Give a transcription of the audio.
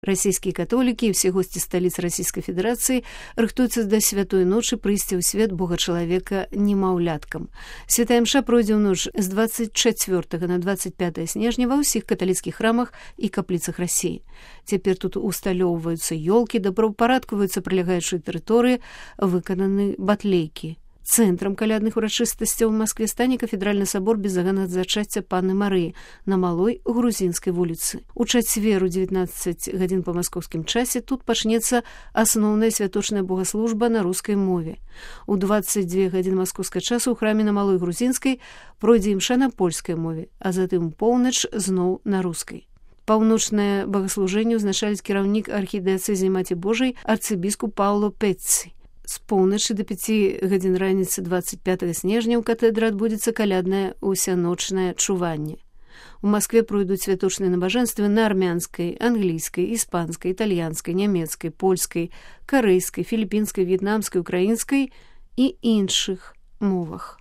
Расійскія католікі і ўсе госці сталіц Расійскай Федэрацыі рыхтуюцца да святой ночы прыйсці ў свет Бога-чалавека немаўляткам. Святая мша пройдзе ў ноч з 24 на 25 снежня ва ўсіх каталіцкіх храмах і капліцах Расіі. Цяпер тут усталёўваюцца ёлкі, добраўпарадкаваюцца прылягаючыя тэрыторыі, выкананы батлейкі. Цэнтрам калядных урачыстасцяў у Маскве стане кафедральны сабор безаганнага зачацця Панны Марыі на Малой Грузінскай вуліцы. У чацвер у 19 гадзін па маскоўскім часе тут пачнецца асноўная святочная богаслужба на рускай мове. У 22 гадзін маскоўскага часу ў храме на Малой Грузінскай пройдзе імша на польскай мове, а затым поўнач зноў на рускай. Паўночнае богаслужэнне ўзначаліць кіраўнік архідыяцэзіі Маці Божай арцыбіскуп Паўло Пецці. З поўначы да 5 гадзін раніцы 25 снежня ў катэдры адбудзецца каляднае усяночнае чуванне. У Маскве пройдуць святочныя набажэнствы на армянскай, англійскай, іспанскай, італьянскай, нямецкай, польскай, карэйскай, філіпінскай, в'етнамскай, украінскай і іншых мовах.